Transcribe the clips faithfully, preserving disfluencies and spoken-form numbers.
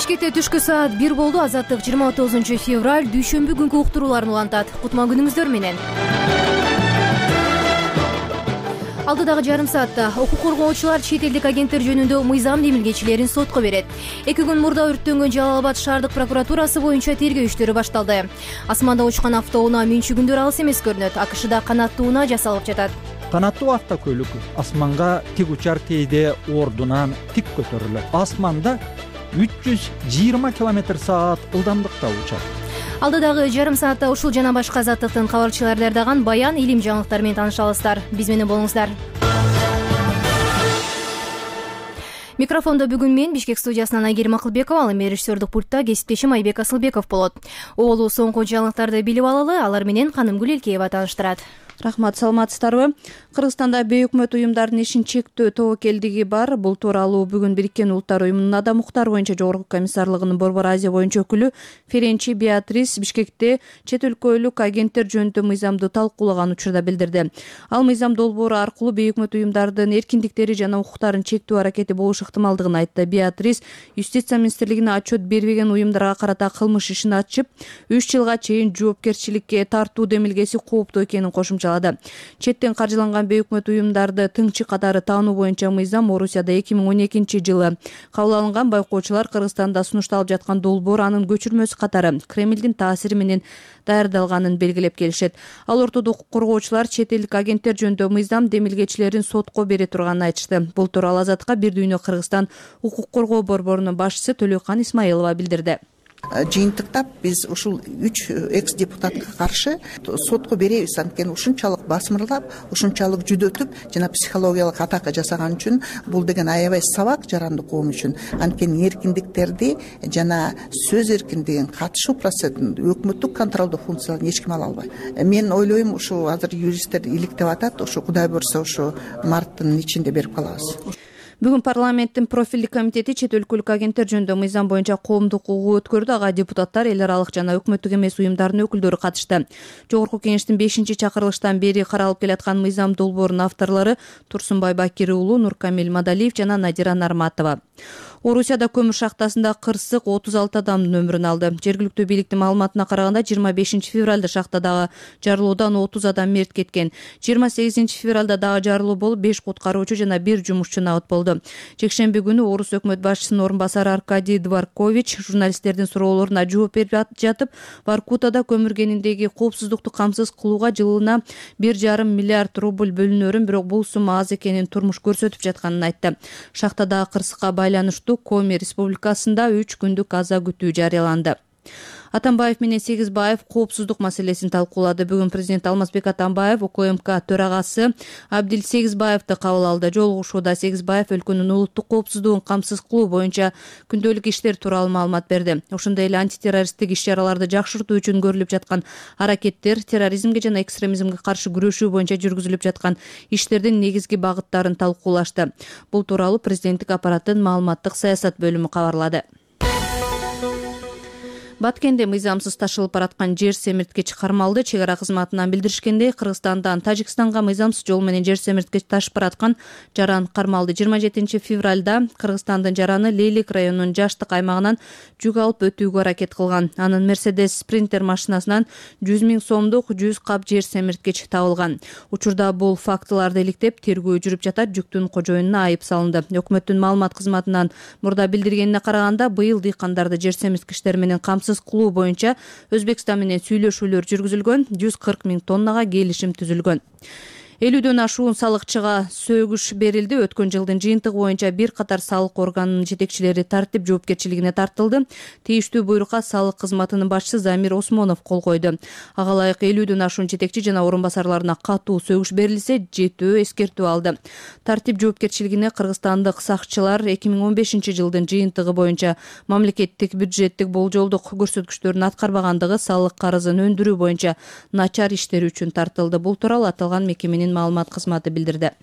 Бишкекте түшкү саат бир болду. Азаттык жыйырма тогузунчу февраль дүйшөмбү күнкү уктурууларын улантат. Кутман күнүңүздөр менен. Алдыдагы жарым саатта укук коргоочулар чет элдик агенттер жөнүндө мыйзам демилгечилерин сотко берет. Эки күн мурда өрттөнгөн Жалал Абад шаардык прокуратурасы боюнча тергөө иштери башталды. Асманда учкан автоунаа мүнчүгүндөр алыс эмес көрүнөт. АКШда канаттуу унаа жасалып жатат. Канаттуу автокөлүк асманга тик учар кейде ордунан тик көтөрүлөт. Асманда үч жүз жыйырма километр саат ылдамдыкта учат. Алдыдагы жарым саатта ушул жана башка азаттыктын кабарчылары даярдаган баян илим жаңылыктары менен таанышабыздар. Биз менен болуңуздар. Микрофондо бүгүн мен Бишкек студиясынан Айгерим Акылбекова, ал эми режиссердик пультта кесиптешим Айбек Асылбеков болот. Оолу соңку жаңылыктарды билип алалы, алар менен Канымгүл Элкеева тааныштырат. Рахмат, саламатсыздарбы? Кыргызстанда бейөкмөт уюмдардын ишин чектөө тобокелдиги бар. Бул тууралуу бүгүн Бириккен Улуттар уюмунун адам укуктары боюнча жогорку комиссарлыгынын Борбор Азия боюнча өкүлү Ференчи Беатрис Бишкекте чет өлкөлүк агенттер жөнүндө мыйзамды талкуулаган учурда билдирди. Ал мыйзам долбоору аркылуу бейөкмөт уюмдардын эркиндиктери жана укуктарын чектөө аракети болуш ыктымалдыгын айтты. Беатрис Юстиция министрлигине отчет бербеген уюмдарга карата кылмыш ишин ачып, үч жылга чейин жоопкерчиликке тартуу демилгеси кооптуу экенин кошумчалады. Четтен каржыланган бейөкмөт уюмдарды тыңчы катары таануу боюнча мыйзам Орусияда эки миң он экинчи жылы кабыл алынган. Байкоочулар Кыргызстанда сунушталып жаткан долбоор анын көчүрмөсү катары Кремлдин таасири менен даярдалганын белгилеп келишет. Ал ортодо укук коргоочулар чет элдик агенттер жөнүндө мыйзам демилгечилерин сотко бере турганын айтышты. Бул тууралуу Азаттыкка Бир дүйнө Кыргызстан укук коргоо борборунун башчысы Төлөкан Исмаилова билдирди. Жыйынтыктап биз ушул үч экс депутатка каршы сотко беребиз. Анткени ушунчалык басмырлап, ушунчалык жүдөтүп жана психологиялык атака жасаган үчүн бул деген аябай сабак жаранды коом үчүн. Анткени эркиндиктерди жана сөз эркиндигин, катышуу процессин, өкмөттүк контролдуу функцияларын эч ким ала албайт. Мен ойлойм, ушу азыр юристтер иликтеп атат, ушу Кудай буйрса ушу марттын ичинде берип калабыз. Бүгүн парламенттин профилдик комитети чет өлкөлүк агенттер жөнүндө мыйзам боюнча коомдук угуу өткөрдү. Ага депутаттар, эл аралык жана өкмөттүк эмес уюмдардын өкүлдөрү катышты. Жогорку кеңештин бешинчи чакырылыштан бери каралып келаткан мыйзам долбоорунун авторлору Турсунбай Бакир уулу, Нуркамил Мадалиев жана Надира Нарматова. Орусияда көмүр шахтасында кырсык отуз алты адамдын өмүрүн алды. Жергиликтүү бийликтин маалыматына караганда жыйырма бешинчи февралда шахтадагы жарылуудан отуз адам мерт кеткен. жыйырма сегизинчи февралда дагы жарылуу болуп, беш куткаруучу жана бир жумушчу набыт болду. Жекшемби күнү Орус өкмөт башчысынын орун басары Аркадий Дворкович журналисттердин суроолоруна жооп берип жатып, Воркутада көмүр кениндеги коопсуздукту камсыз кылууга жылына бир жарым миллиард рубль бөлүнөрүн, бирок бул сумма аз экенин турмуш көрсөтүп жатканын айтты. Шахтадагы кырсыкка байланыштуу Коми Республикасында үч күндүк аза күтүү жарыяланды. Атамбаев менен Сегизбаев коопсуздук маселесин талкуулады. Бүгүн президент Алмазбек Атамбаев УКМК төрагасы Абдил Сегизбаевди кабыл алды. Жолугушууда Сегизбаев өлкөнүн улуттук коопсуздугун камсыз кылуу боюнча күндөлүк иштер тууралуу маалымат берди. Ошондой эле антитеррористтик иш-чараларды жакшыртуу үчүн көрүлүп жаткан аракеттер, терроризмге жана экстремизмге каршы күрөшүү боюнча жүргүзүлүп жаткан иштердин негизги багыттарын талкуулашты. Бул тууралуу президенттик аппараттын маалыматтык саясат бөлүмү кабарлады. Баткенде мыйзамсыз ташылып бараткан жер семирткич кармалды. Чек ара кызматынан билдиришкендей, Кыргызстандан Тажикстанга мыйзамсыз жол менен жер семирткич ташып бараткан жаран кармалды. жыйырма жетинчи февралда Кыргызстандын жараны Лейлик районунун Жаштык аймагынан жүк алып өтүүгө аракет кылган. Анын Мерседес Спринтер машинасынан жүз миң сомдук жүз кап жер семирткич табылган. Учурда бул фактыларды иликтеп, тергөө жүрүп жатат. Жүктүн кожоюнуна айып салынды. Өкмөттүн маалымат кызматынан мурда билдиргенине караганда, быйыл дыйкандарды жер семирткичтер менен камсыз кылуу боюнча Өзбекстан менен сүйлөшүүлөр жүргүзүлгөн, жүз кырк миң тоннага келишим түзүлгөн. элүүдөн ашуун салыкчыга сөгүш берилди. Өткөн жылдын жыйынтыгы боюнча бир катар салык органынын жетекчилери тартип жоопкерчилигине тартылды. Тийиштүү буйрукка салык кызматынын башчысы Замир Осмонов кол койду. Ага ылайык элүүдөн ашуун жетекчи жана орун басарларына катуу сөгүш берилсе, жетөө эскертүү алды. Тартип жоопкерчилигине кыргызстандык сакчылар эки миң он бешинчи жылдын жыйынтыгы боюнча мамлекеттик бюджеттик болжолдук көрсөткүчтөрүн аткарбагандыгы, салык карызын өндүрүү боюнча начар иштери үчүн тартылды. Бул тууралуу аталган мекеменин маалымат кызматы билдирди.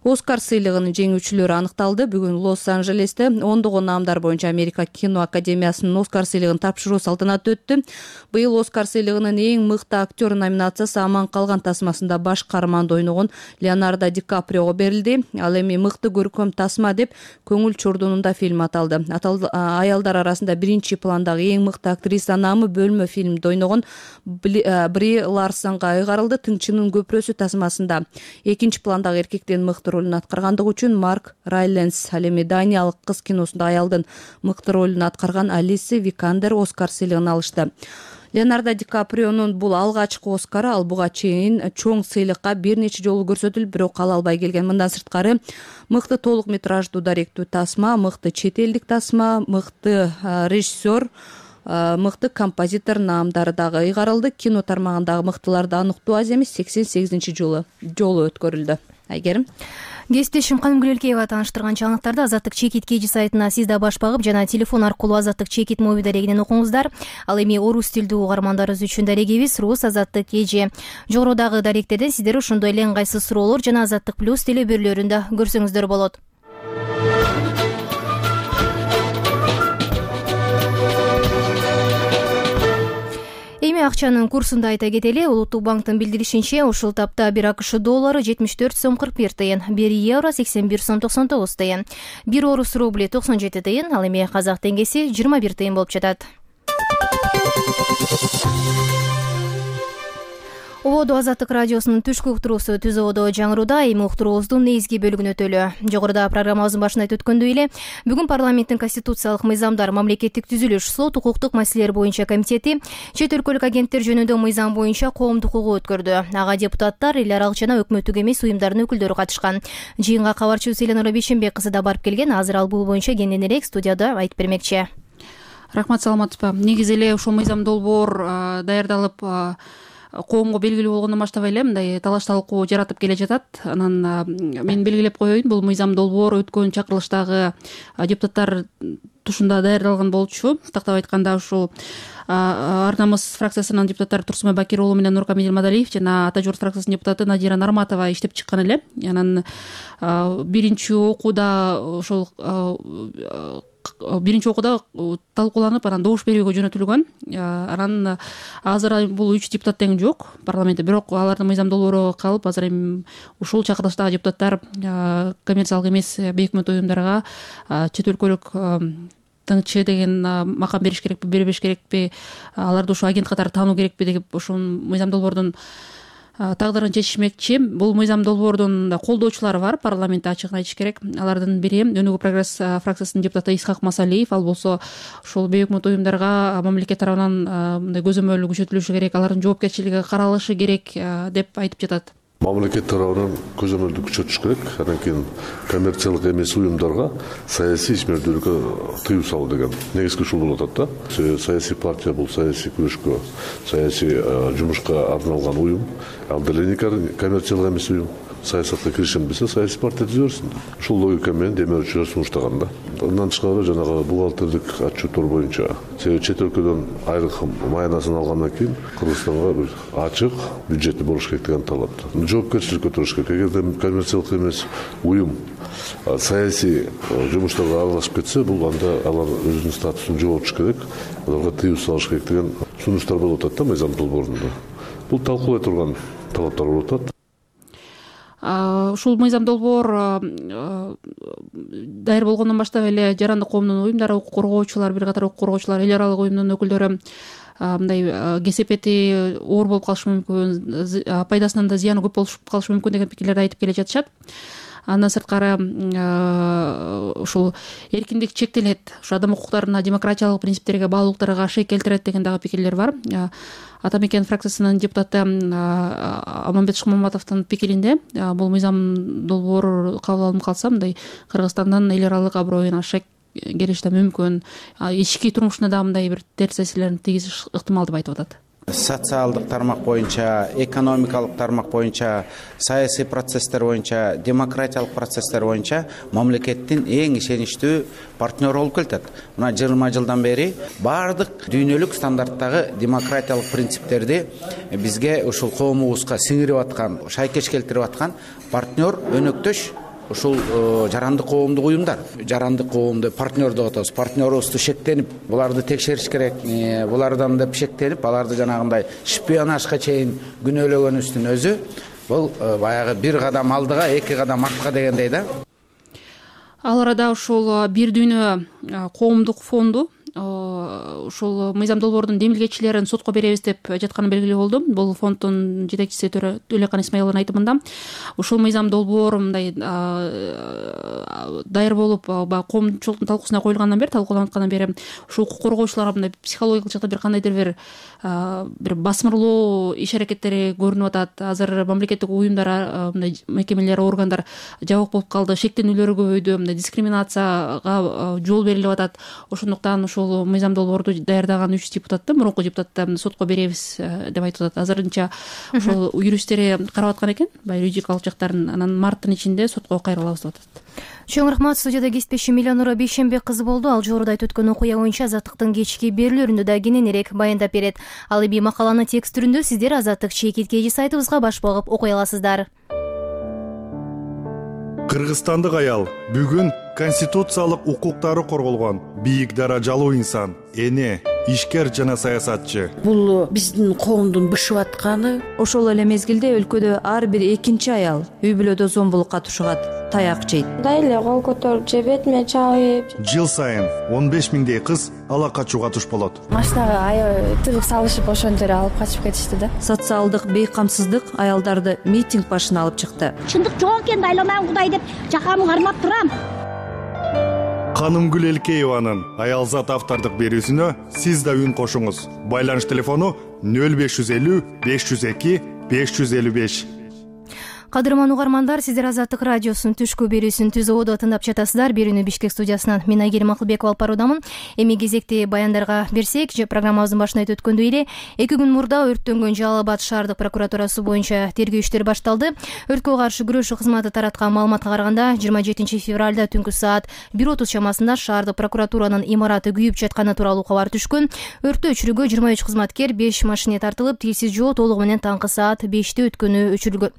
Оскар сыйлыгынын жеңүүчүлөрү аныкталды. Бүгүн Лос-Анжелесте ондогон наамдар боюнча Америка кино академиясынын Оскар сыйлыгын тапшыруу салтанаты өттү. Быйыл Оскар сыйлыгынын эң мыкты актер номинациясы «Аман калган тасмасында» баш каарманды ойногон Леонардо Ди Каприого берилди. Ал эми мыкты көркөм тасма деп көңүл чордунунда фильм аталды. Аялдар арасында биринчи пландагы эң мыкты актриса наамы бөлмө фильмде ойногон Бри Ларсонго ыйгарылды. Тыңчынын көпүрөсү тасмасында экинчи пландагы эркектен мыкты ролун аткаргандыгы үчүн Марк Райленс, ал эми Даниялык кыз киносунда аялдын мыкты ролун аткарган Алиса Викандер Оскар сыйлыгын алышты. Леонардо Ди Каприонун бул алгачкы Оскары. Ал буга чейин чоң сыйлыкка бир нече жолу көрсөтүлүп, бирок ала албай келген. Мындан сырткары мыкты толук метраждуу даректүү тасма, мыкты чет элдик тасма, мыкты режиссер, мыкты композитор наамдары дагы ыйгарылды. Кино тармагындагы мыктыларды аныктоо аз эмес сексен сегизинчи жолу жолу өткөрүлдү. Айгерим. Кесиптешим Каным Гүлөлкеева тааныштырган жаңылыктарды Азаттык Чекит кежи сайтына сиз да баш багып жана телефон аркылуу Азаттык Чекит моби дарегинен окуңуздар. Ал эми орус тилдүү угармандарыбыз үчүн дарегибиз Рус Азаттык кежи. Жогорудагы даректерден сиздер ошондой эле ыңгайсыз суроолор жана Азаттык плюс телебөрлөрүндө көрсөңүздөр болот. Эми акчанын курсун да айта кетели. Улуттук банктын билдиришинче, ушул тапта бир АКШ доллары жетимиш төрт сом кырк бир тыйын, бир евро сексен бир сом токсон тогуз тыйын, бир орус рубли токсон жети тыйын, ал эми казак теңгеси жыйырма бир тыйын болуп жатат. Ободо Азаттык радиосунун түшкү уктуруусу түз ободо жаңырууда. Эми уктуруубуздун негизги бөлүгүн өтөлү. Жогоруда программабыздын башында айтып өткөндөй эле, бүгүн парламенттин конституциялык мыйзамдар, мамлекеттик түзүлүш, сот, укуктук маселелер боюнча комитети чет өлкөлүк агенттер жөнүндө мыйзам боюнча коомдук угуу өткөрдү. Ага депутаттар, эл аралык жана өкмөттүк эмес уюмдардын өкүлдөрү катышкан. Жыйынга кабарчыбыз Эленора Бейшенбек кызы да барып келген. Азыр ал бул боюнча кененирээк студияда айтып бермекчи. Рахмат, саламатсызбы. Негизи эле ушул мыйзам долбоор даярдалып коомго белгилүү болгондон баштап эле мындай талаш талкуу жаратып келе жатат. Анан мен белгилеп коеюн, бул мыйзам долбоор өткөн чакырылыштагы депутаттар тушунда даярдалган болчу. Тактап айтканда, ушул Ар намыс фракциясынын депутаттары Турсунбай Бакир уулу менен Нуркамил Мадалиев жана Ата Журт фракциясынын депутаты Надира Нарматова иштеп чыккан эле. Анан биринчи окууда ошол биринчи окууда талкууланып, анан добуш берүүгө жөнөтүлгөн. Анан азыр бул үч депутат тең жок парламентте, бирок алардын мыйзам долбоору калып, азыр эми ушул чакырылыштагы депутаттар коммерциялык эмес бейөкмөт уюмдарга чет өлкөлүк тыңчы деген макам бериш керекпи, бербеш керекпи, аларды ушу агент катары таануу керекпи деп ушул мыйзам долбоордун тагдырын чечишмекчи. Бул мыйзам долбоордун колдоочулары бар, парламентте ачыгын айтыш керек. Алардын бири Өнүгүү прогресс фракциясынын депутаты Исхак Масалиев. Ал болсо ушул бейөкмөт уюмдарга мамлекет тарабынан мындай көзөмөл күчөтүлүшү керек, алардын жоопкерчилиги каралышы керек деп айтып жатат. Мамлекет тарабынан көзөмөлдү күчөтүш керек. Андан кийин коммерциялык эмес уюмдарга саясий ишмердүүлүккө тыюу салуу деген негизги ушул болуп атат да. Саясий партия бул саясий күрөшкө, саясий жумушка арналган уюм. Ал деле коммерциялык эмес уюм. Саясатка киришем десе, саясий партия түзөрсүң. Ушул логика менен демөөрчүлөр сунуштаган да. Андан тышкары жанагы бухгалтердик отчеттор боюнча, себеби чет өлкөдөн айрыкым майнасын алгандан кийин Кыргызстанга бир ачык бюджети болуш керек деген талап. Жоопкерчилик көтөрүш керек. Эгерде коммерциялык эмес уюм саясий жумуштарга аралашып кетсе, бул анда алар өзүнүн статусун жоготуш керек, аларга тыюу салыш керек деген сунуштар болуп атат да мыйзам долбоорунда. Бул талкуулай турган талаптар болуп атат. Ушул мыйзам долбоор даяр болгондон баштап эле жарандык коомдун уюмдары, укук коргоочулар, бир катар укук коргоочулар, эл аралык уюмдун өкүлдөрү мындай кесепети оор болуп калышы мүмкүн, пайдасынан да зыяны көп болуп калышы мүмкүн деген пикирлерди айтып келе жатышат. Андан сырткары ушул эркиндик чектелет, ушу адам укуктарына, демократиялык принциптерге, баалуулуктарга шек келтирет деген дагы пикирлер бар. Ата Мекен фракциясынын депутаты Аманбет Шыкмаматовдун пикиринде, бул мыйзам долбоор кабыл алынып калса, мындай Кыргызстандын эл аралык аброюна шек келиши да мүмкүн, ички турмушуна да мындай бир терс таасирлерин тийгизиш ыктымал деп айтып атат. Социалдык тармак боюнча, экономикалык тармак боюнча, саясий процесстер боюнча, демократиялык процесстер боюнча мамлекеттин эң ишеничтүү партнеру болуп келатат. Мына жыйырма жылдан бери бардык дүйнөлүк стандарттагы демократиялык принциптерди бизге ушул коомубузга сиңирип аткан, шайкеш келтирип аткан партнер, өнөктөш ушул жарандык коомдук уюмдар, жарандык коомду партнер деп атабыз, партнерубузду шектенип буларды текшериш керек, булардан деп шектенип аларды жанагындай шпионажга чейин күнөөлөгөнүбүздүн өзү бул баягы бир кадам алдыга эки кадам артка дегендей да. Ал арада ушул Бир дүйнө коомдук фонду ушул мыйзам долбоордун демилгечилерин сотко беребиз деп жатканы белгилүү болду. Бул фонддун жетекчиси Төлөкан Исмаиловдун айтымында ушул мыйзам долбоор мындай даяр болуп коомчулуктун талкуусуна коюлгандан бери, талкууланып аткандан бери ушул укук коргоочуларга мындай психологиялык жактан бир кандайдыр бир бир басмырлоо иш аракеттери көрүнүп атат. Азыр мамлекеттик уюмдар, мындай мекемелер, органдар жабык болуп калды, шектенүүлөр көбөйдү, мындай дискриминацияга жол берилип атат. Ошондуктан ушул мыйзам долбоорду даярдаган үч депутатты, мурунку депутатты сотко беребиз деп айтып атат. Азырынча ошол юристтери карап аткан экен, баягы юридикалык жактарын, анан марттын ичинде сотко кайрылабыз деп атат. Чоң рахмат. Студияда кесиптешим Миланура Бейшенбек кызы болду. Ал жогоруда айтып өткөн окуя боюнча Азаттыктын кечки берүүлөрүндө да кененирээк баяндап берет. Ал эми макаланы текст түрүндө сиздер Азаттык чекит кеji сайтыбызга баш багып окуй аласыздар. Кыргызстандык аял бүгүн конституциялык укуктары корголгон бийик даражалуу инсан, эне, ишкер жана саясатчы. Бул биздин коомдун бышып атканы. Ошол эле мезгилде өлкөдө ар бир экинчи аял үй бүлөдө зомбулукка тушугат, таяк жейт. Дайле кол көтөрүп же бетиме чабып. Жыл сайын он беш миңдей кыз ала качууга туш болот. Машинага аябай тыгып салышып ошон жерге алып качып кетишти да. Социалдык бейкамсыздык аялдарды митинг башына алып чыкты. Чындык жок экен, айланам Кудай деп жакамы кармап турам. Канымгүл Элкееванын Аялзат автордук берүүсүнө сиз да үн кошуңуз. Байланыш телефону нөл беш жүз элүү беш жүз эки беш жүз элүү беш. Кадырман угармандар, сиздер Азаттык радиосунун түшкү берүүсүн Түз ободо тыңдап жатасыздар. Берүүнү Бишкек студиясынан мен Айгерим Акылбекова алып баруудамын. Эми кезекти баяндарга берсек, программабыздын башында айтып өткөндөй эле, эки күн мурда өрттөнгөн Жалал Абад шаардык прокуратурасы боюнча тергөө иштери башталды. Өрткө каршы күрөшүү кызматы тараткан маалыматка караганда, жыйырма жетинчи февралда түнкү саат бир отуз чамасында шаардык прокуратуранын имараты күйүп жатканы тууралуу кабар түшкөн. Өрттү өчүрүүгө жыйырма үч кызматкер, беш машине тартылып, тилсиз жоо толугу менен таңкы саат беште өткөнү өчүрүлгөн.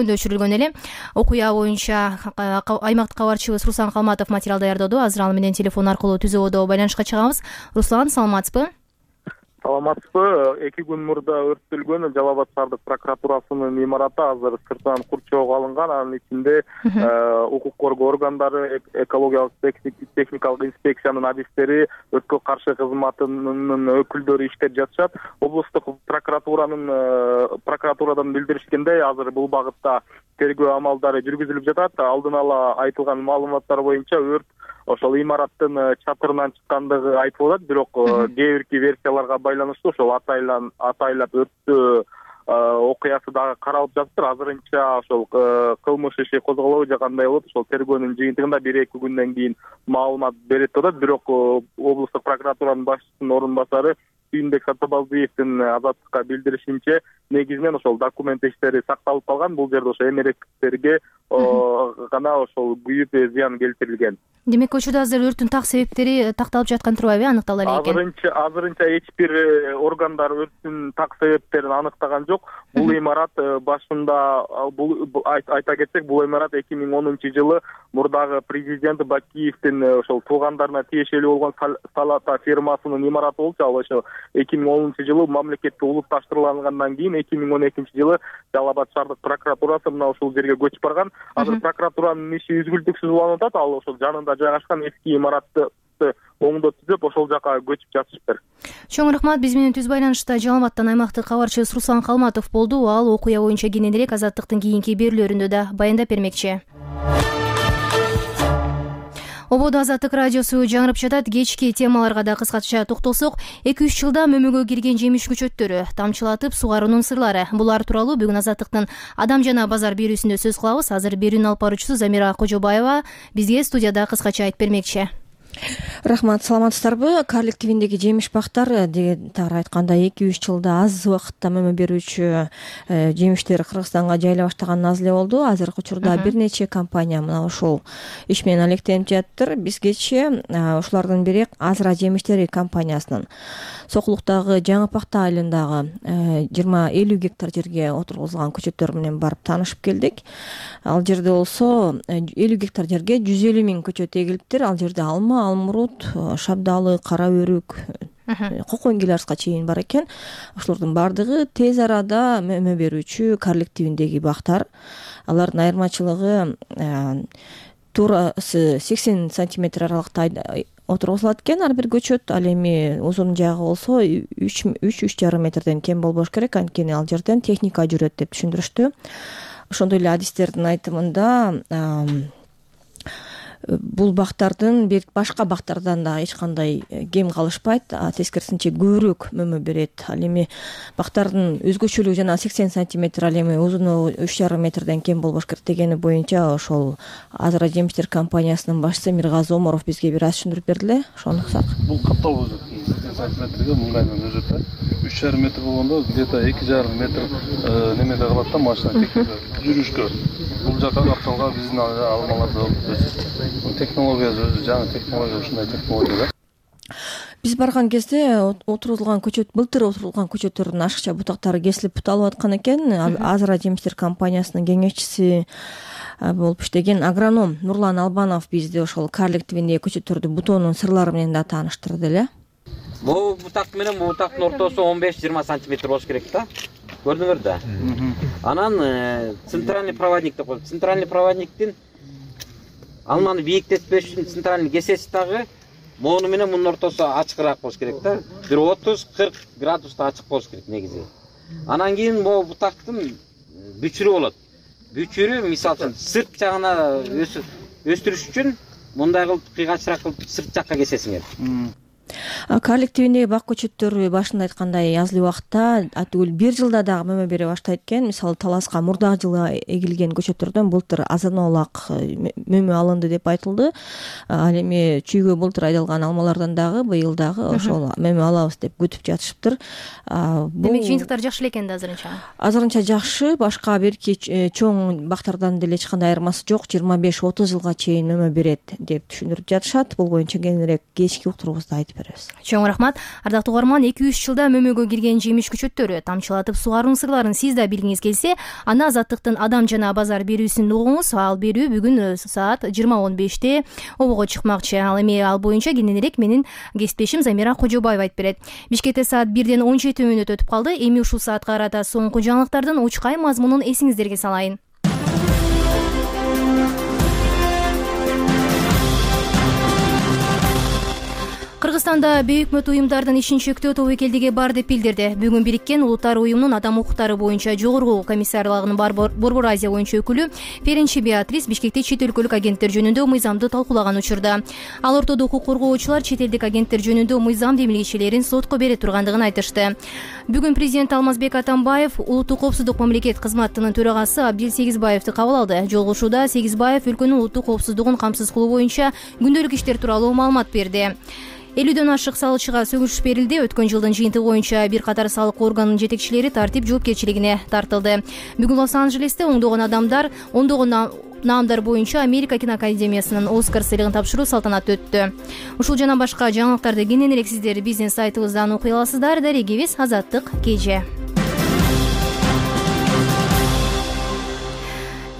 өчүрүлгөн эле. Окуя боюнча аймактык кабарчыбыз Руслан Калматов материал даярдоодо. Азыр ал менен телефон аркылуу Түз ободо байланышка чыгабыз. Руслан, саламатсызбы? Саламатсызбы. Эки күн мурда өрттөлгөн Жалал Абад шаардык прокуратурасынын имараты азыр сыртынан курчоого алынган. Анын ичинде укук коргоо органдары, экологиялык техникалык инспекциянын адистери, өрткө каршы кызматынын өкүлдөрү иштеп жатышат. Облустук прокуратуранын прокуратурадан билдиришкендей, азыр бул багытта тергөө амалдары жүргүзүлүп жатат. Алдын ала айтылган маалыматтар боюнча өрт ошол имараттын чатырынан чыккандыгы айтылып атат, бирок кээ бирки версияларга байланыштуу ошол атайлан атайлап өрттөө окуясы дагы каралып жатыптыр. Азырынча ошол кылмыш иши козголобу же кандай болот, ошол тергөөнүн жыйынтыгында бир эки күндөн кийин маалымат берет деп атат. Бирок облустук прокуратуранын башчысынын орун басары Сүйүнбек Сатыбалдиевдин Азаттыкка билдиришинче, негизинен ошол документ иштери сакталып калган. Бул жерде ошо эмеректерге гана ошол күйүп зыян келтирилген. Демек, учурда азыр өрттүн так себептери такталып жаткан турбайбы, аныктала элек экен? Азырынча азырынча эч бир органдар өрттүн так себептерин аныктаган жок. Бул имарат башында бул айта кетсек, бул имарат эки миң онунчу жылы мурдагы президент Бакиевдин ошол туугандарына тиешелүү болгон Салата фирмасынын имараты болчу. Ал ошо эки миң онунчу жылы мамлекетке улутташтырылгандан кийин эки миң он экинчи жылы Жалал Абад шаардык прокуратурасы мына ушул жерге көчүп барган. Азыр прокуратуранын иши үзгүлтүксүз уланып атат. Ал ошол жанында жайгашкан эски имаратты оңдотуп ошол жака көчүп жатышыптыр. Чоң рахмат. Биз менен түз байланышта Жалал Абадтан аймактык кабарчыбыз Руслан Калматов болду. Ал окуя боюнча кененирээк Азаттыктын кийинки берүүлөрүндө да баяндап бермекчи. Ободо Азаттык радиосу жаңырып жатат. Кечки темаларга да кыскача токтолсок, эки үч жылда мөмөгө кирген жемиш көчөттөрү, тамчылатып сугаруунун сырлары. Булар тууралуу бүгүн Азаттыктын Адам жана базар берүүсүндө сөз кылабыз. Азыр берүүнүн алып баруучусу Замира Кожобаева бизге студияда кыскача айтып бермекчи. Рахмат, саламатсыздарбы? Карлик твиндеги жемиш бактар деген тагыраак айтканда эки үч жылда аз убакытта мөмө берүүчү жемиштер Кыргызстанга жайыла баштаганын аз эле болду. Азыркы учурда бир нече компания мына ушул иш менен алектенип жатыр. Бизгечи ушулардын бири Азыра жемиштери компаниясынын Сокулуктагы Жаңы Пакта айылындагы жыйырма элүү гектар жерге отургузулган көчөттөр менен барып таанышып келдик. Ал жерде болсо элүү гектар жерге жүз элүү миң көчөт эгилиптир. Ал жерде алма, алмурут, шабдалы, кара өрүк, кокон гилярска чейин бар экен. Ошолордун баардыгы тез арада мөмө берүүчү карлик тибиндеги бактар. Алардын айырмачылыгы туурасы сексен сантиметр аралыкта отургузулат экен ар бир көчөт. Ал эми узун жагы болсо үч үч жарым метрден кем болбош керек, анткени ал жерден техника жүрөт деп түшүндүрүштү. Ошондой эле адистердин айтымында бул бактардын башка бактардан да эч кандай кем калышпайт, тескерисинче көбүрөөк мөмө берет. Ал эми бактардын өзгөчөлүгү жана сексен сантиметр, ал эми узуну үч жарым метрден кем болбош керек дегени боюнча ошол Азыра жемиштер компаниясынын башчысы Миргазы Оморов бизге бир аз түшүндүрүп бердиле. Ошону уксак. Бул катталып өзөт. сексен сантиметрге мыңгайдан өзөт да. үч жарым метр болгондо где-то эки жарым метр немеде калат да машина техника жүрүшкө. Бул жака капталга биздин алмаларды өсөт. Технология жаңы технология ушундай технология да. Биз барган кезде отурулган көчөт, былтыр отурулган көчөттөрдүн ашыкча бутактары кесилип буталып аткан экен. Азыра жемиштер компаниясынын кеңешчиси болуп иштеген агроном Нурлан Албанов бизди ошол карлик тибиндеги көчөттөрдү бутоонун сырлары менен да тааныштырды эле. Бул бутак менен бул бутактын ортосу он беш жыйырма сантиметр болуш керек да. Көрдүңөр да. Анан центральный проводник деп коет. Центральный проводниктин алманы бийиктетпеш үчүн центральный кесеси дагы мону менен мунун ортосу ачыгыраак болуш керек да. Бир отуз кырк градуста ачык болуш керек негизи. Анан кийин могу бутактын бүчүрү болот. Бүчүрү мисалы үчүн сырт жагына өстүрүш үчүн мындай кылып кыйгачыраак кылып сырт жакка кесесиңер. Карлик тибиндеги бак көчөттөрү башында айткандай аз эле убакытта атүгүл бир жылда дагы мөмө бере баштайт экен. Мисалы Таласка мурдагы жылы эгилген көчөттөрдөн былтыр азаноолак мөмө алынды деп айтылды. Ал эми чүйгө былтыр айдалган алмалардан дагы быйыл дагы ошол мөмө алабыз деп күтүп жатышыптыр. Демек жыйынтыктар жакшы эле экен да азырынча. Азырынча жакшы, башка бирки чоң бактардан деле эч кандай айырмасы жок. жыйырма беш отуз жылга чейин мөмө берет деп түшүндүрүп жатышат. Бул боюнча кеңирээк кечки уктуруубузда айтып беребиз. Чоң рахмат. Ардактуу угарман, эки үч жылда мөмөгө кирген жемиш көчөттөрү тамчылатып сугаруунун сырларын сиз да билгиңиз келсе, аны Азаттыктын Адам жана базар берүүсүн угуңуз. Ал берүү бүгүн саат жыйырма он беште обого чыкмакчы. Ал эми ал боюнча кененирээк менин кесиптешим Замира Кожобаева айтып берет. Бишкекте саат бирден он жети мүнөт өтүп калды. Эми ушул саатка карата соңку жаңылыктардын учкай мазмунун эсиңиздерге салайын. Кыргызстанда бейөкмөт уюмдардын ишин чектөө тобокелдиги бар деп билдирди. Бүгүн бириккен улуттар уюмунун адам укуктары боюнча жогорку комиссарлыгынын Борбор Азия боюнча өкүлү Перенчи Беатрис Бишкекте чет өлкөлүк агенттер жөнүндө мыйзамды талкуулаган учурда ал ортодо укук коргоочулар чет элдик агенттер жөнүндө мыйзам демилгечелерин сотко бере тургандыгын айтышты. Бүгүн президент Алмазбек Атамбаев улуттук коопсуздук мамлекет кызматынын төрагасы Абдил Сегизбаевди кабыл алды. Жолугушууда Сегизбаев өлкөнүн улуттук коопсуздугун камсыз кылуу боюнча күндөлүк иштер тууралуу маалымат берди. элүүдөн ашык салычыга сөгүш берилди. Өткөн жылдын жыйынтыгы боюнча бир катар салык органынын жетекчилери тартип жоопкерчилигине тартылды. Бүгүн Лос-Анджелесте ондогон адамдар, ондогон наамдар боюнча Америка киноакадемиясынын Оскар сыйлыгын тапшыруу салтанаты өттү. Ушул жана башка жаңылыктарды кененирээк сиздер биздин сайтыбыздан окуй аласыздар. Дарегибиз Азаттык Кеже.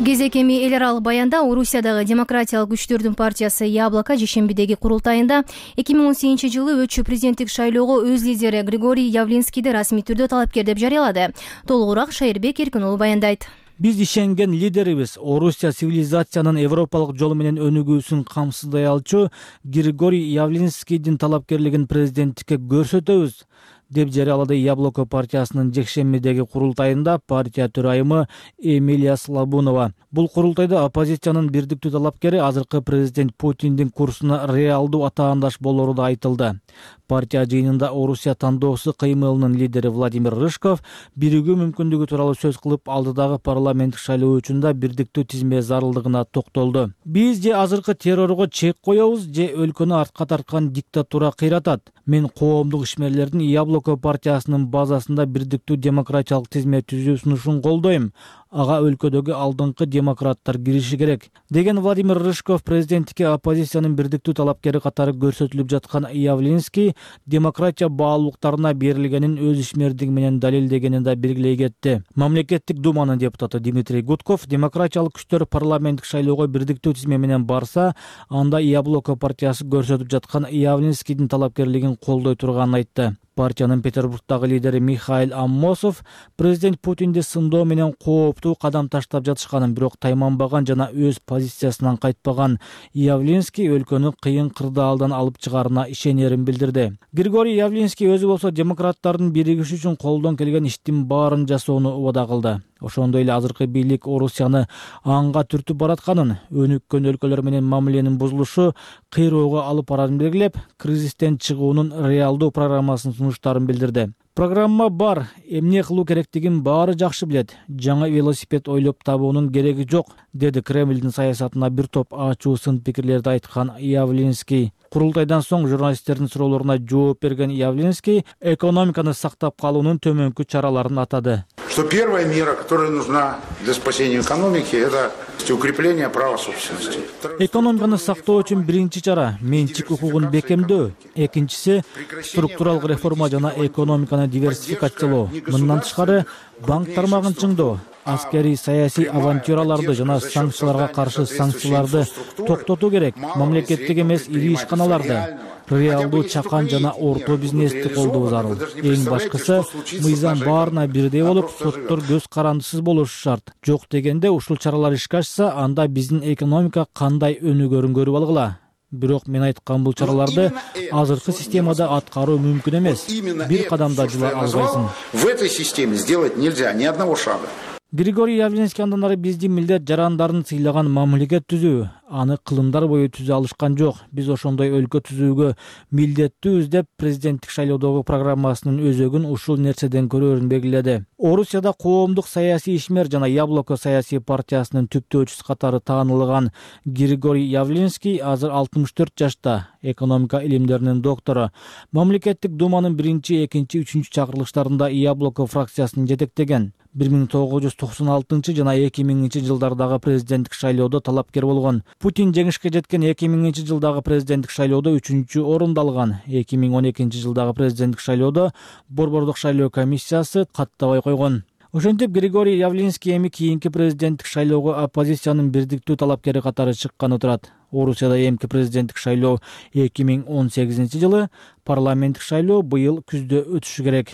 Кезек эми эл аралык баянда Орусиядагы демократиялык күчтөрдүн партиясы Яблоко жешембидеги курултайында эки миң он сегизинчи жылы өтчү президенттик шайлоого өз лидери Григорий Явлинскийди расмий түрдө талапкер деп жарыялады. Толугураак Шайырбек Эркин уулу баяндайт. Биз ишенген лидерибиз Орусия цивилизациянын европалык жолу менен өнүгүүсүн камсыздай алчу Григорий Явлинскийдин талапкерлигин президенттикке көрсөтөбүз. деп жарыялады Яблоко партиясынын жекшембидеги курултайында партия төрайымы Эмилия Слабунова. Бул курултайда оппозициянын бирдиктүү талапкери азыркы президент Путиндин курсуна реалдуу атаандаш болору да айтылды. Партия жыйынында Орусия тандоосу кыймылынын лидери Владимир Рыжков биригүү мүмкүндүгү тууралуу сөз кылып, алдыдагы парламенттик шайлоо үчүн да бирдиктүү тизме зарылдыгына токтолду. Биз же азыркы террорго чек коебуз, же өлкөнү артка тарткан диктатура кыйратат. Мен коомдук ишмерлердин Яблоко партиясынын базасында бирдиктүү демократиялык тизме түзүү сунушун колдойм. Ага өлкөдөгү алдыңкы демократтар кириши керек, деген Владимир Рыжков президенттикке оппозициянын бирдиктүү талапкери катары көрсөтүлүп жаткан Явлинский демократия баалуулуктарына берилгенин өз ишмердиги менен далилдегенин да белгилей кетти. Мамлекеттик думанын депутаты Дмитрий Гудков демократиялык күчтөр парламенттик шайлоого бирдиктүү тизме менен барса, анда Яблоко партиясы көрсөтүп жаткан Явлинскийдин талапкерлигин колдой турганын айтты. Партиянын Петербургдагы лидери Михаил Аммосов президент Путинди сындоо менен кооптуу кадам таштап жатышканын, бирок тайманбаган жана өз позициясынан кайтпаган Явлинский өлкөнү кыйын кырдаалдан алып чыгаарына ишенерин билдирди. Григорий Явлинский өзү болсо демократтардын биригиши үчүн колдон келген иштин баарын жасоону убада кылды. Ошондой эле азыркы бийлик Орусияны анга түртүп баратканын, өнүккөн өлкөлөр менен мамиленин бузулушу кыйроого алып барарын белгилеп, кризистен чыгуунун реалдуу программасын сунуштарын билдирди. Программа бар, эмне кылуу керектигин баары жакшы билет. Жаңа велосипед ойлоп табуунун кереги жок, деди Кремлдин саясатына бир топ ачуу сын пикирлерди айткан Явлинский. Курултайдан соң журналисттердин суроолоруна жооп берген Явлинский экономиканы сактап калуунун төмөнкү чараларын атады. Что первая мера, которая нужна для спасения экономики, это укрепление права собственности. Экономиканы сактоо үчүн биринчи чара менчик укугун бекемдөө, экинчиси структуралык реформа жана экономиканы диверсификациялоо. Мындан тышкары банк тармагын чыңдоо, аскерий саясий авантюраларды жана санкцияларга каршы санкцияларды токтотуу керек. Мамлекеттик эмес ири ишканаларды, реалдуу чакан жана орто бизнести колдоо зарыл. Эң башкысы мыйзам баарына бирдей болуп, соттор көз карандысыз болушу шарт. Жок дегенде ушул чаралар ишке ашса, анда биздин экономика кандай өнүгөрүн көрүп алгыла. Бирок мен айткан бул чараларды азыркы системада аткаруу мүмкүн эмес. Бир кадамда жыла албайсың. В этой системе сделать нельзя ни одного шага. Григорий Явлинский андан ары биздин милдет жарандарын сыйлаган мамлекет түзүү, аны кылымдар бою түзө алышкан жок. Биз ошондой өлкө түзүүгө милдеттүүбүз деп президенттик шайлоодогу программасынын өзөгүн ушул нерседен көрөрүн белгиледи. Орусияда коомдук саясий ишмер жана Яблоко саясий партиясынын түптөөчүсү катары таанылган Григорий Явлинский азыр алтымыш төрт жашта, экономика илимдеринин доктору. Мамлекеттик думанын биринчи, экинчи, үчүнчү чакырылыштарында Яблоко фракциясын жетектеген. бир миң тогуз жүз токсон алтынчы жана эки миңинчи жылдардагы президенттик шайлоодо талапкер болгон. Путин жеңишке жеткен эки миңинчи жылдагы президенттик шайлоодо үчүнчү орунду алган. эки миң он экинчи жылдагы президенттик шайлоодо Борбордук шайлоо комиссиясы каттабай койгон. Ошентип Григорий Явлинский эми кийинки президенттик шайлоого оппозициянын бирдиктүү талапкери катары чыкканы турат. Орусияда эмки президенттик шайлоо эки миң он сегизинчи жылы, парламенттик шайлоо быйыл күздө өтүшү керек.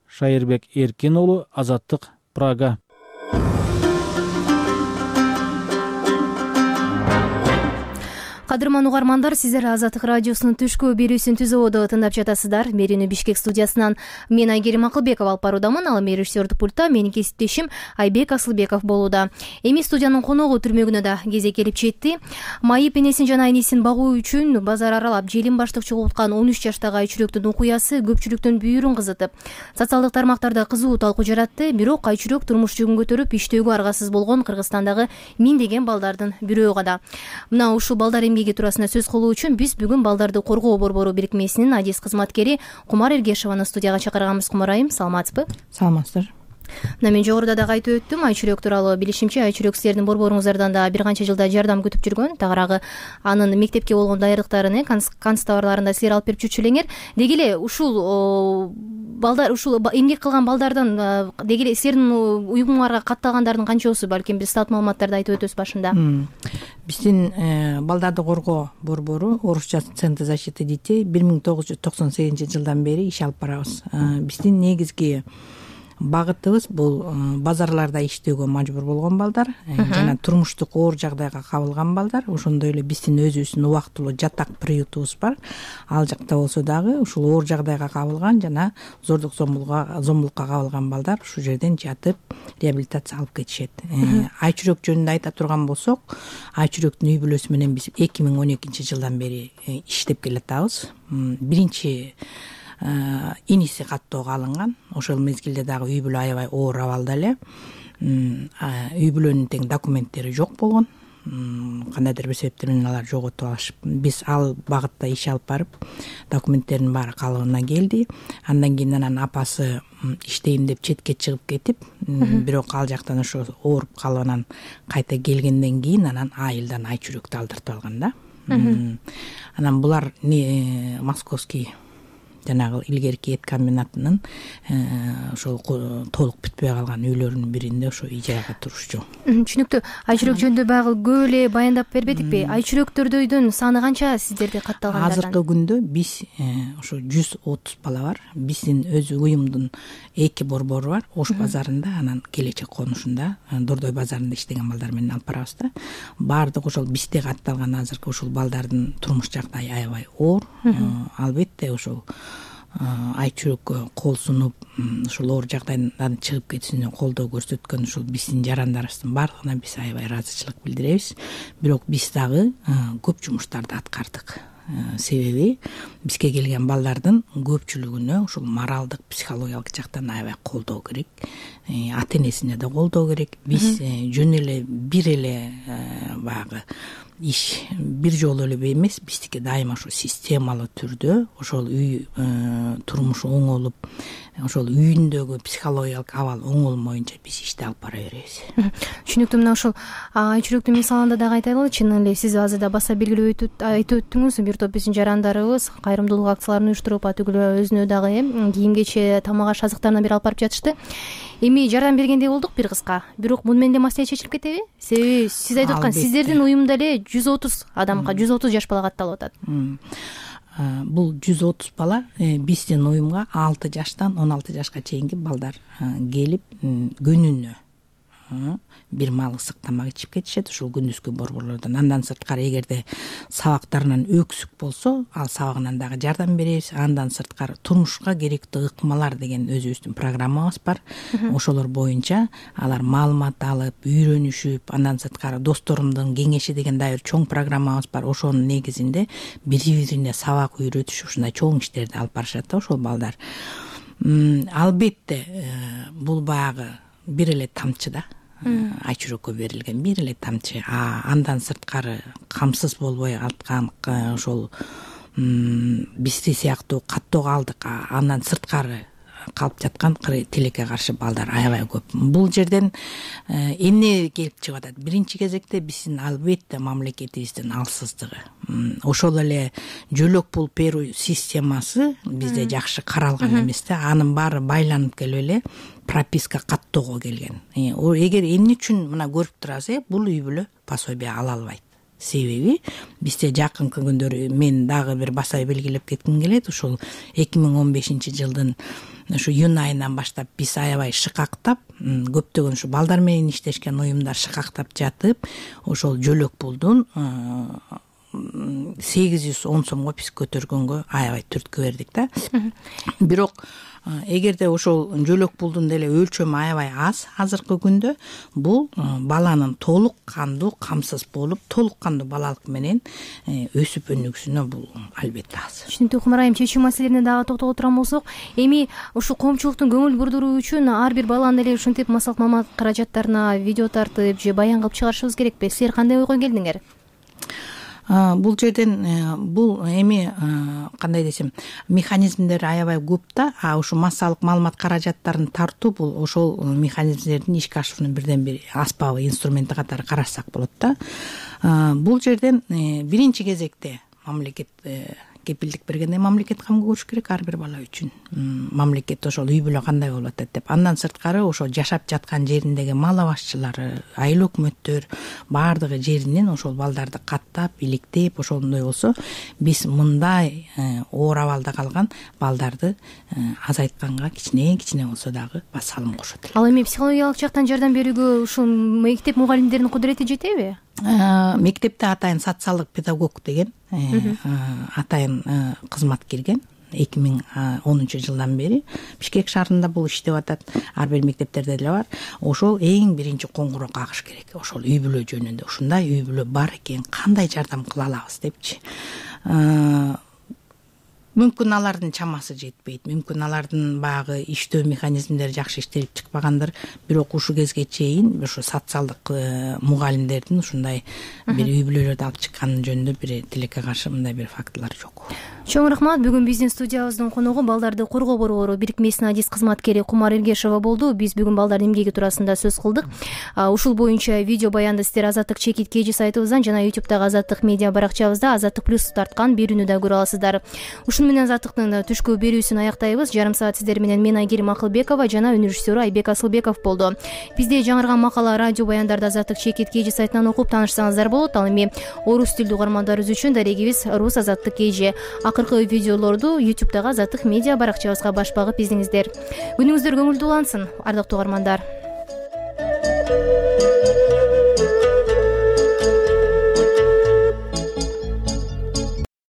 Шайырбек Эркин уулу, Азаттык, Прага. Кадырман угармандар, сиздер Азаттык радиосунун түшкү берүүсүн түзөөдө тыңдап жатасыздар. Мерини Бишкек студиясынан мен Айгерим Акылбекова алып баруудамын. Ал эми режиссердук пультта менин кесиптешим Айбек Асылбеков болууда. Эми студиянын коногу түрмөгүнө да кезек келип жетти. Майып энесин жана энесин багуу үчүн базар аралап желим баштык чогулткан он үч жаштагы айчүрөктүн окуясы көпчүлүктүн бүйүрүн кызытып, социалдык тармактарда кызуу талкуу жаратты. Бирок айчүрөк турмуш жүгүн көтөрүп иштөөгө аргасыз болгон Кыргызстандагы миңдеген балдардын бирөө гана. Мына ушул балдар туурасында сөз кылуу үчүн биз бүгүн Балдарды коргоо борбору бирикмесинин адис кызматкери Кумар Эргешованы студияга чакырганбыз. Кумар айым, саламатсызбы? Саламатсыздар. Мына мен жогоруда дагы айтып өттүм, айчүрөк тууралуу билишимче, айчүрөк сиздердин борборуңуздардан да бир канча жылда жардам күтүп жүргөн. Тагыраагы анын мектепке болгон даярдыктарын, канц товарларын да силер алып берип жүрчү элеңер. Деги эле ушул балдар, ушул эмгек кылган балдардан деги эле силердин уюмуңарга катталгандардын канчосу, балким бир стат маалыматтарды айтып өтөбүз башында. Биздин Балдарды коргоо борбору орусча Центр защиты детей бир миң тогуз жүз токсон сегизинчи жылдан бери иш алып барабыз. Биздин негизги багытыбыз бул базарларда иштөөгө мажбур болгон балдар жана турмуштук оор жагдайга кабылган балдар. Ошондой эле биздин өзүбүздүн убактылуу жатак приютубуз бар. Ал жакта болсо дагы ушул оор жагдайга кабылган жана зордук зомбулукка кабылган балдар ушул жерден жатып реабилитация алып кетишет. Айчүрөк жөнүндө айта турган болсок, Айчүрөктүн үй бүлөсү менен биз эки миң он экинчи жылдан бери иштеп келатабыз. Биринчи иниси каттоого алынган. Ошол мезгилде дагы үй бүлө аябай оор абалда эле. Үй бүлөнүн тең документтери жок болгон. Кандайдыр бир себептер менен алар жоготуп алышып, биз ал багытта иш алып барып, документтердин баары калыбына келди. Андан кийин анан апасы иштейм деп четке чыгып кетип, бирок ал жактан ошо ооруп калып анан кайта келгенден кийин анан айылдан Айчүрөктү алдыртып алган да. Анан булар московский жанагы илгерки эт комбинатынын ошол толук бүтпөй калган үйлөрүнүн биринде ошо ижарага турушчу. Түшүнүктүү. Айчүрөк жөнүндө баягы көп эле баяндап бербедикпи? Айчүрөктөрдүн саны канча сиздерде катталгандардан? Азыркы күндө биз ошо жүз отуз бала бар. Биздин өз уюмдун эки борбору бар. Ош базарында, анан Келечек конушунда, Дордой базарында иштеген балдар менен алып барабыз да. Баардык ошол бизде катталган азыркы ушул балдардын турмуш жагдайы аябай оор. Албетте ошол Айчүрөккө кол сунуп, ушул оор жагдайдан чыгып кетишине колдоо көрсөткөн ушул биздин жарандарыбыздын баардыгына биз аябай ыраазычылык билдиребиз. Бирок биз дагы көп жумуштарды аткардык. Себеби бизге келген балдардын көпчүлүгүнө ушул моралдык, психологиялык жактан аябай колдоо керек. Ата энесине да колдоо керек. Биз жөн эле бир эле баягы иш бир жолу эле эмес, биздики дайыма ошо системалуу түрдө ошол үй турмушу оңолуп, ошол үйүндөгү психологиялык абал оңолмоюнча биз ишти алып бара беребиз. Түшүнүктүү. Мына ошол Айчүрөктүн мисалында дагы айтайлы, чын эле сиз азырда баса белгилеп айтып өттүңүз, бир топ биздин жарандарыбыз кайрымдуулук акцияларын уюштуруп, атүгүлө өзүнө дагы кийим кече, тамак аш азыктарынан бери алып барып жатышты. Эми жардам бергендей болдук бир кызга. Бирок муну менен эле маселе чечилип кетеби? Себеби сиз айтып аткан сиздердин уюмда эле жүз отуз адамга, жүз отуз жаш бала катталып атат. Бул жүз отуз бала биздин уюмга алты жаштан он алты жашка чейинки балдар келип күнүнө бир маал ысык тамак ичип кетишет ушул күндүзгү борборлордон. Андан сырткары эгерде сабактарынан өксүк болсо, ал сабагынан дагы жардам беребиз. Андан сырткары турмушка керектүү ыкмалар деген өзүбүздүн программабыз бар. Ошолор боюнча алар маалымат алып, үйрөнүшүп, андан сырткары досторумдун кеңеши деген дагы бир чоң программабыз бар. Ошонун негизинде бири-бирине сабак үйрөтүш, ушундай чоң иштерди алып барышат да ошол балдар. Албетте бул баягы бир эле тамчы да. Айчүрөккө берилген бир эле тамчы. Андан сырткары камсыз болбой аткан ошол бизди сыяктуу каттоого алдык. Андан сырткары калып жаткан тилекке каршы балдар аябай көп. Бул жерден эмне келип чыгып атат? Биринчи кезекте биздин албетте мамлекетибиздин алсыздыгы. Ошол эле жөлөк пул берүү системасы бизде жакшы каралган эмес да. Анын баары байланып келип эле прописка каттоого келген. Эгер эмне үчүн мына көрүп турасыз, бул үй бүлө пособие ала албайт. Себеби бизде жакынкы күндөрү мен дагы бир баса белгилеп кетким келет. Ушул эки миң он бешинчи жылдын ушу июнь айынан баштап биз аябай шыкактап, көптөгөн ушу балдар менен иштешкен уюмдар шыкактап жатып, ошол жөлөк пулдун сегиз жүз он сомго биз көтөргөнгө аябай түрткү бердик да. Бирок эгерде ошол жөлөк пулдун деле өлчөмү аябай аз азыркы күндө, бул баланын толук кандуу камсыз болуп, толук кандуу балалык менен өсүп өнүгүшүнө бул албетте аз. Түшүнүктүү. Кумарайым, чечүү маселелерине дагы токтоло турган болсок, эми ушул коомчулуктун көңүл бурдуруу үчүн ар бир баланы эле ушинтип масалык мамак каражаттарына видео тартып же баян кылып чыгарышыбыз керекпи? Силер кандай ойго келдиңер? Бул жерден бул эми кандай десем, механизмдер аябай көп да. А ушу массалык маалымат каражаттарын тартуу бул ошол механизмдердин ишке ашуунун бирден бир аспабы, инструменти катары карашсак болот да. Бул жерден биринчи кезекте мамлекет кепилдик бергенде мамлекет камгы көрүш керек ар бир бала үчүн. Мамлекет ошол үй бүлө кандай болуп атат деп. Андан сырткары ошо жашап жаткан жериндеги мал абашчылары, айыл өкмөттөр баардыгы жеринен ошол балдарды каттап, иликтеп, ошондой болсо биз мындай оор абалда калган балдарды азайтканга кичине кичине болсо дагы басалым кошот. Ал эми психологиялык жактан жардам берүүгө ушул мектеп мугалимдеринин кудурети жетеби? Мектепте атайын социалдык педагог деген атайын кызмат кирген. эки миң онунчу жылдан бери Бишкек шаарында бул иштеп атат. Ар бир мектептерде деле бар. Ошол эң биринчи коңгуроо кагыш керек. Ошол үй бүлө жөнүндө. Ушундай үй бүлө бар экен, кандай жардам кыла алабыз депчи. Мүмкүн алардын чамасы жетпейт, мүмкүн алардын багы иштөө механизмдери жакшы иштелип чыкпагандыр, бирок ушул кезге чейин ушу социалдык мугалимдердин ушундай бир үй бүлөлөрдү алып чыкканы жөнүндө бир тилекке каршы мындай бир фактылар жок. Чоң рахмат. Бүгүн биздин студиябыздын коногу балдарды коргоо борбору бирикмесинин адис кызматкери Кумар Эргешова болду. Биз бүгүн балдардын эмгеги туурасында сөз кылдык. Ушул боюнча видео баянды сиздер Азаттык чекит кж сайтыбыздан жана ютубтагы Азаттык медиа баракчабызда Азаттык плюс тарткан берүүнү да көрө аласыздар. Ушун менен Азаттыктын түшкү берүүсүн аяктайбыз. Жарым саат сиздер менен мен Айгерим Акылбекова жана өнүрүштөрү Айбек Асылбеков болду. Бизде жаңырган макала радио баяндарды Азаттык чекит кж сайтынан окуп таанышсаңыздар болот. Ал эми орус тилдүү угармандарыбыз үчүн дарегибиз Рус Азаттык кж. Акыркы видеолорду ютубтагы Азаттык медиа баракчабызга баш багып излеңиздер. Күнүңүздөр көңүлдүү улансын, ардактуу угармандар.